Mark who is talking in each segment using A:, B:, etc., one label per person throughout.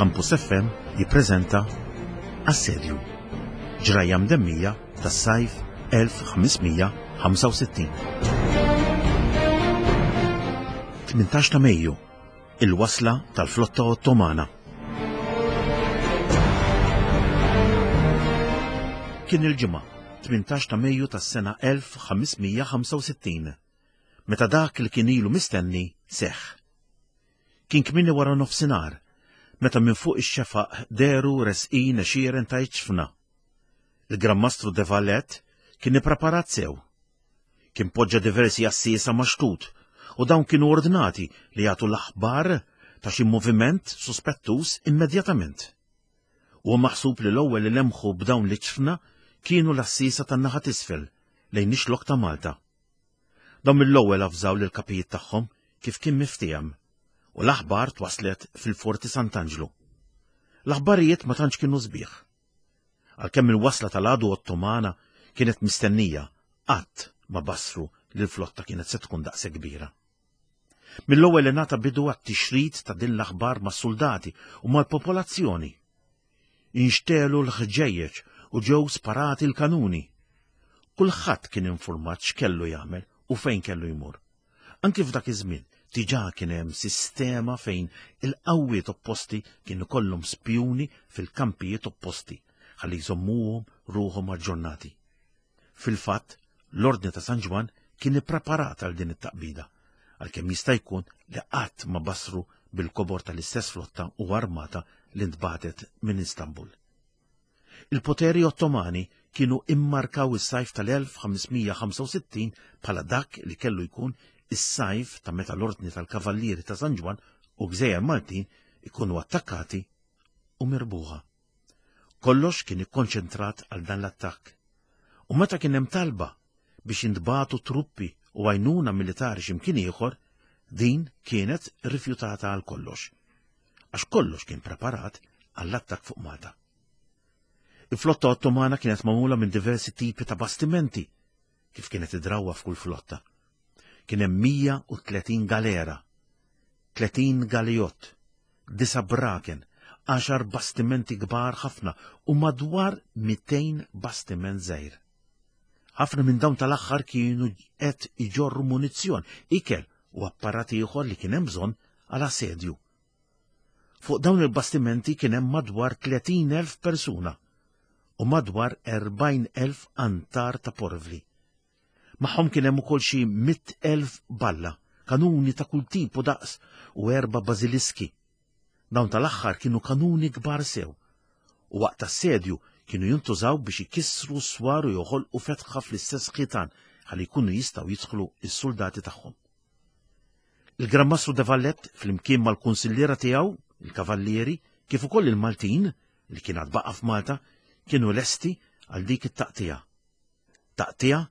A: Campus FM jippreżenta Assedju, ġrajja mdemmija tas-sajf 1565. 18 ta' Mejju, il-wasla tal-flotta Ottomana. Kien il-Ġimgħa, 18 ta' Mejju tas-sena 1565, meta dak li kien ilu mistenni seħħ. Kien kmieni wara nofsinhar meta minn fuq ix-xefaq dehru resqin għexieren ta' iġfna. Il-Gran Mastru de Valette kien ippreparat sew. Kien poġġa diversi għassiesa max-xtut u dawn kienu ordnati li jagħtu l-aħbar ta' xi moviment suspettuż immedjatament. Huwa maħsub li l-ewwel li lemħu b'dawn l-iġfna kienu l-għassiesa tan-naħa t'isfel lejn ix-xlokk ta' Malta. Dawn mill-ewwel avżaw lill-kapijiet tagħhom kif kien miftiehem u l-aħbar twasslet fil-Forti Sant'Anġlu. L-aħbarijiet ma tantx kienu sbieħ. Għalkemm il-wasla tal-għadu Ottomana kienet mistennija, qatt ma bassru li l-flotta kienet se tkun daqshekk kbira. Mill-ewwel ingħata bidu għat-tixrid ta' din l-aħbar mas-suldati u mal-popolazzjoni. Inxtegħlu l-ħġejjeġ u ġew sparati l-kanuni. Kulħadd kien infurmat x'kellu jagħmel u fejn kellu jmur. Anki f'dak iż-żmien diġà kien hemm sistema fejn il-qawwiet opposti kien ikollhom spjuni fil-kampijiet opposti ħalli jżommuhom ruħhom aġġornati. Fil-fatt, l-Ordni ta' San Ġwann kien ippreparat għal din it-taqbida, għalkemm jista' jkun li qatt ma basru bil-kobor tal-istess flotta u armata li ntbagħtet minn Istanbul. Il-poteri Ottomani kienu immarkaw is-sajf tal-1565 bħala dak li kellu jkun is-sajf ta' meta l-Ordni tal-Kavallieri ta' San Ġwann u gżejjer Maltin ikunu attakkati u mirbuħa. Kollox kien ikkonċentrat għal dan l-attakk. U meta kien hemm talba biex jintbagħtu truppi u għajnuna militari x'imkien ieħor, din kienet rifjutata għal kollox. Għax kollox kien preparat għall-attakk fuq Malta. Il-flotta Ottomana kienet magħmula minn diversi tipi ta' bastimenti, kif kienet id-drawwa f'kull flotta. Kien hemm 130 galera, 30 galijott, disa' braken, għaxar bastimenti kbar ħafna u madwar 200 bastiment żgħir. Ħafna minn dawn tal-aħħar kienu qed iġorru munizzjon, ikel u apparat ieħor li kien hemm bżonn għal assedju. Fuq dawn il-bastimenti kien hemm madwar 30,000 persuna u madwar 40,000 antar ta' porvli. Magħhom kien hemm ukoll xi 100,000 balla, kanuni ta' kull tip u daqs u erba' bażiliski. Dawn tal-aħħar kienu kanuni kbar sew u waqt assedju kienu jintużaw biex ikissru s-swar u joħolqu fetħa fl-istess ħitan ħalli jkunu jistgħu jidħlu s-suldati tagħhom. Il-Gran Mastru de Valette flimkien mal-kunsilliera tiegħu, il-kavallieri, kif ukoll il-Maltin li kien għad baqa' f'Malta, kienu lesti għal dik it-taqtiegħa. Taqtiegħa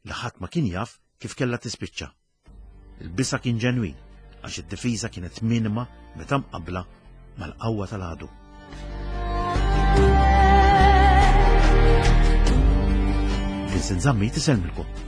A: li ħadd ma kien jaf kif kellha tispiċċa. Il-biża' kien ġenwin għax id-difiża kienet minima meta mqabbla mal-qawwa tal-għadu. Vincent Zammit isellmilkom.